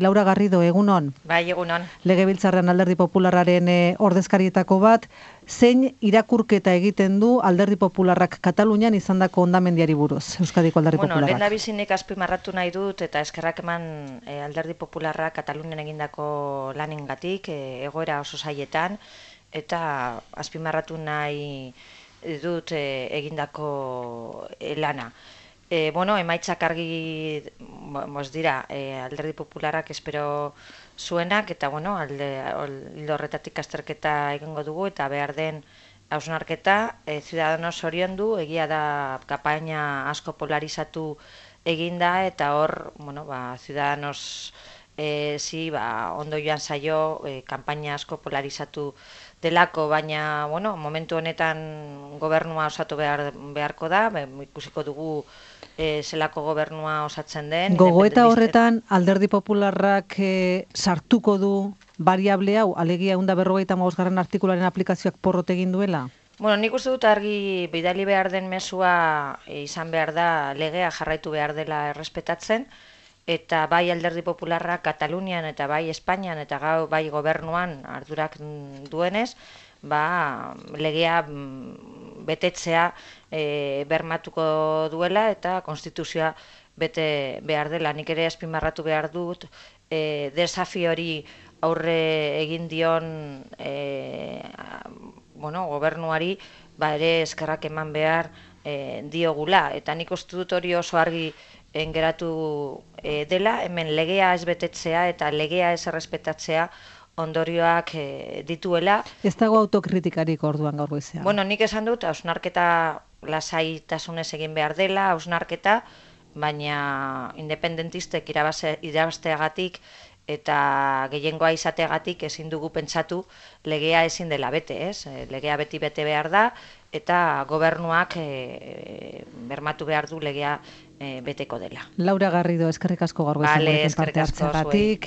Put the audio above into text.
Laura Garrido, egunon. Bai, egunon. Legebiltzarrean Alderdi Popularraren ordezkarietako bat, zein irakurketa egiten du Alderdi Popularrak Katalunian izandako hondamendiari buruz, Euskadiko Alderdi Popularrak? Lehendabizinik azpimarratu nahi dut eta eskerrak eman Alderdi Popularrak Katalunian egindako lanengatik, egoera oso zailetan, eta azpimarratu nahi dut egindako lana. Emaitzak argi dira Alderdi Popularrak espero zuenak, eta ildo horretatik azterketa egingo dugu, eta behar den hausnarketa Ciudadanos zoriondu, egia da kampaina asko polarizatu eginda, eta hor, Ciudadanos ondo joan zaio kampaina asko polarizatu delako, baina, momentu honetan gobernua osatu beharko da, ikusiko dugu zelako gobernua osatzen den. Gogoeta horretan Alderdi Popularrak sartuko du variable hau, alegia 155. artikularen aplikazioak porrot egin duela? Nik uste dut argi bidali behar den mezua izan behar da, legea jarraitu behar dela errespetatzen, eta bai Alderdi Popularra Katalunian eta bai Espainian eta bai gobernuan ardurak duenez, legea betetzea bermatuko duela eta konstituzioa bete behar dela. Nik ere azpimarratu behar dut desafio hori aurre egin dion gobernuari ere eskerrak eman behar diogula, eta nik uste dut hori oso argi geratu dela, hemen legea ez betetzea eta legea ez errespetatzea ondorioak dituela. Ez dago autokritikarik orduan gaur goizean? Nik esan dut, hausnarketa lasaitasunez egin behar dela, hausnarketa, baina independentistek irabazteagatik eta gehiengoa izateagatik ezin dugu pentsatu legea ezin dela bete, ez? Legea beti bete behar da, eta gobernuak bermatu behar du legea beteko dela. Laura Garrido, eskerrik asko gaur goizean parte hartzeagatik.